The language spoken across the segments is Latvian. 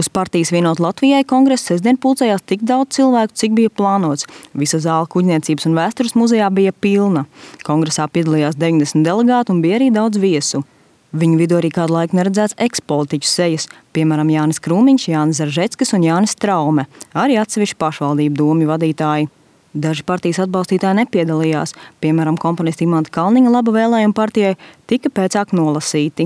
Uz partijas Vienot Latvijai kongresa sestdien pulcējās tik daudz cilvēku, cik bija plānots. Visa zāle Kuģniecības un vēstures muzejā bija pilna. Kongresā piedalījās 90 delegāti un bija arī daudz viesu. Viņu vidū arī kādu laiku neredzēts ekspolitiķu sejas, piemēram Jānis Krūmiņš, Jānis Zaržeckis un Jānis Traume, arī atsevišķi pašvaldību domju vadītāji. Daži partijas atbalstītāji nepiedalījās, piemēram komponisti Imanta Kalniņa Laba vēlējuma partijai tika pēcāk nolasīti.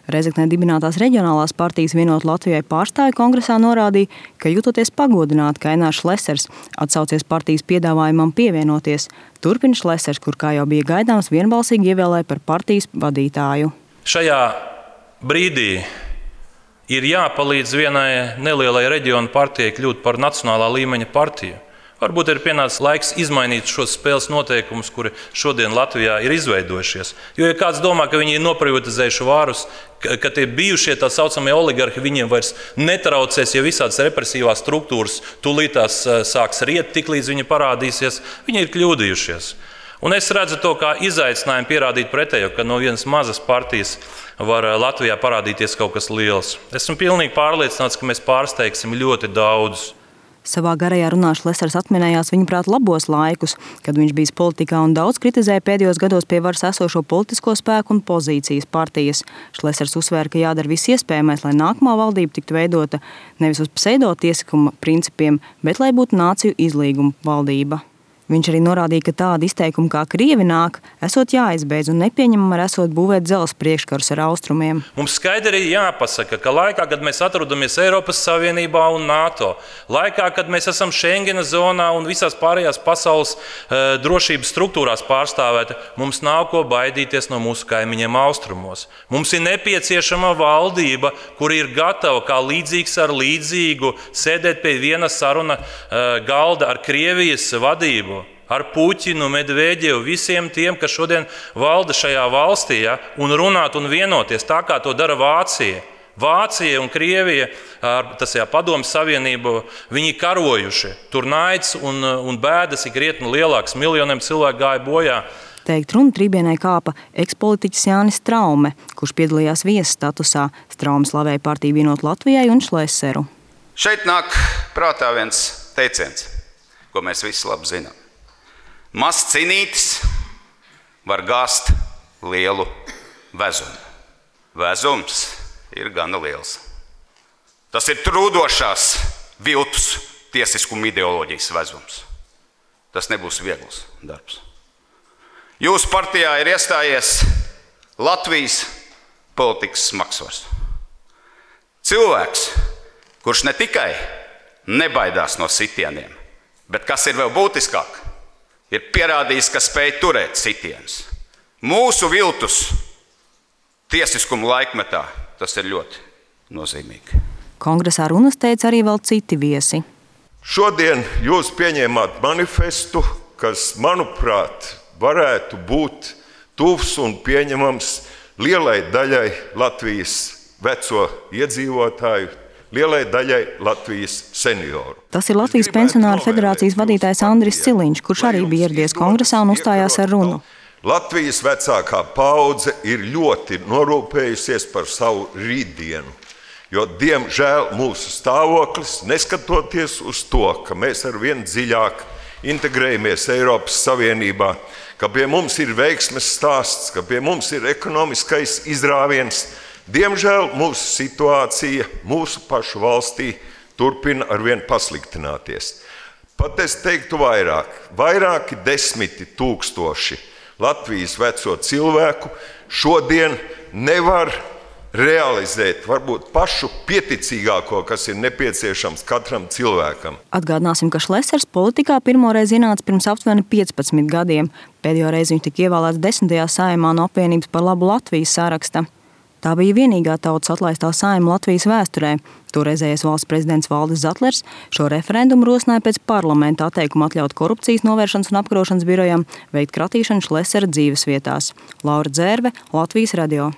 Rezeknē dibinātās reģionālās partijas Vienot Latvijai pārstāvji kongresā norādīja, ka jūtoties pagodināti, ka Ainārs Šlesers atsaucies partijas piedāvājumam pievienoties. Turpina Šlesers, kur kā jau bija gaidāms, vienbalsīgi ievēlēja par partijas vadītāju. Šajā brīdī ir jāpalīdz vienai nelielai reģionu partijai kļūt par nacionālā līmeņa partiju. Varbūt ir pienācis laiks izmainīt šos spēles noteikumus, kuri šodien Latvijā ir izveidojušies. Jo, ja kāds domā, ka viņi ir noprivatizējuši vārus, ka tie bijušie tā saucamie oligarhi viņiem vairs netraucēs, ja visādas represīvās struktūras tūlītās sāks riet, tiklīdz viņi parādīsies, viņi ir kļūdījušies. Un es redzu to kā izaicinājumu pierādīt pretējo, ka no vienas mazas partijas var Latvijā parādīties kaut kas liels. Esmu pilnīgi pārliecināts, ka mēs pārsteigsim ļoti daudzus. Savā garajā runā Šlesers atminējās viņuprāt labos laikus, kad viņš bijis politikā un daudz kritizēja pēdējos gados pie varas esošo politisko spēku un pozīcijas partijas. Šlesers uzsvēra, ka jādara viss iespējamais, lai nākamā valdība tiktu veidota nevis uz pseidotiesiskuma principiem, bet lai būtu nāciju izlīguma valdība. Viņš arī norādīja, ka tāda izteikuma kā Krievi nāk, esot jāizbeidz un nepieņemam ar esot būvēt dzelzs priekškarus ar austrumiem. Mums skaidri jāpasaka, ka laikā, kad mēs atrodamies Eiropas Savienībā un NATO, laikā, kad mēs esam Schengena zonā un visās pārējās pasaules drošības struktūrās pārstāvēti, mums nav ko baidīties no mūsu kaimiņiem austrumos. Mums ir nepieciešama valdība, kur ir gatava kā līdzīgs ar līdzīgu sēdēt pie viena saruna galda ar Krievijas vadību. Ar Puķinu, Medveģevu, visiem tiem, kas šodien valda šajā valstī, un runāt un vienoties tā, kā to dara Vācija. Vācija un Krievija, padomju savienību, viņi karojuši. Tur naids un bēdas ir krietni lielāks, miljoniem cilvēku gāja bojā. Teikt runu trībienai kāpa ekspolitiķis Jānis Traume, kurš piedalījās viesu statusā. Traume slavēja partiju Vienot Latvijai un Šleseru. Šeit nāk prātā viens teiciens, ko mēs visi labi zinām. Mazs cinītis var gāzt lielu vezumu. Vezums ir gana liels. Tas ir trūdošās viltus tiesiskuma ideoloģijas vezums. Tas nebūs viegls darbs. Jūsu partijā ir iestājies Latvijas politikas smagsvars. Cilvēks, kurš ne tikai nebaidās no sitieniem, bet kas ir vēl būtiskāk, ir pierādījis, ka spēj turēt sitienus. Mūsu viltus tiesiskuma laikmetā tas ir ļoti nozīmīgi. Kongresā runas teica arī vēl citi viesi. Šodien jūs pieņēmāt manifestu, kas, manuprāt, varētu būt tuvs un pieņemams lielai daļai Latvijas veco iedzīvotāju, lielai daļai Latvijas senioru. Tas ir Latvijas pensionāru federācijas vadītājs Andris Ciliņš, kurš arī bija ieradies kongresā un uzstājās ar runu. Latvijas vecākā paudze ir ļoti norūpējusies par savu rītdienu, jo, diemžēl, mūsu stāvoklis, neskatoties uz to, ka mēs arvien dziļāk integrējamies Eiropas Savienībā, ka pie mums ir veiksmes stāsts, ka pie mums ir ekonomiskais izrāviens, diemžēl mūsu situācija mūsu pašu valstī turpina arvien pasliktināties. Pat es teiktu vairāki 10 000 Latvijas veco cilvēku šodien nevar realizēt varbūt pašu pieticīgāko, kas ir nepieciešams katram cilvēkam. Atgādināsim, ka Šlesers politikā pirmoreiz ienāca pirms aptuveni 15 gadiem. Pēdējo reizi viņš tika ievēlēts 10. Saeimā no Apvienības par labu Latvijas saraksta. Tā bija vienīgā tautas atlaistā saeima Latvijas vēsturē. Toreizējais valsts prezidents Valdis Zatlers šo referendumu rosināja pēc parlamenta atteikuma atļaut korupcijas novēršanas un apkarošanas birojam veikt kratīšanu Šlesera dzīvesvietās. Laura Dzērve, Latvijas radio.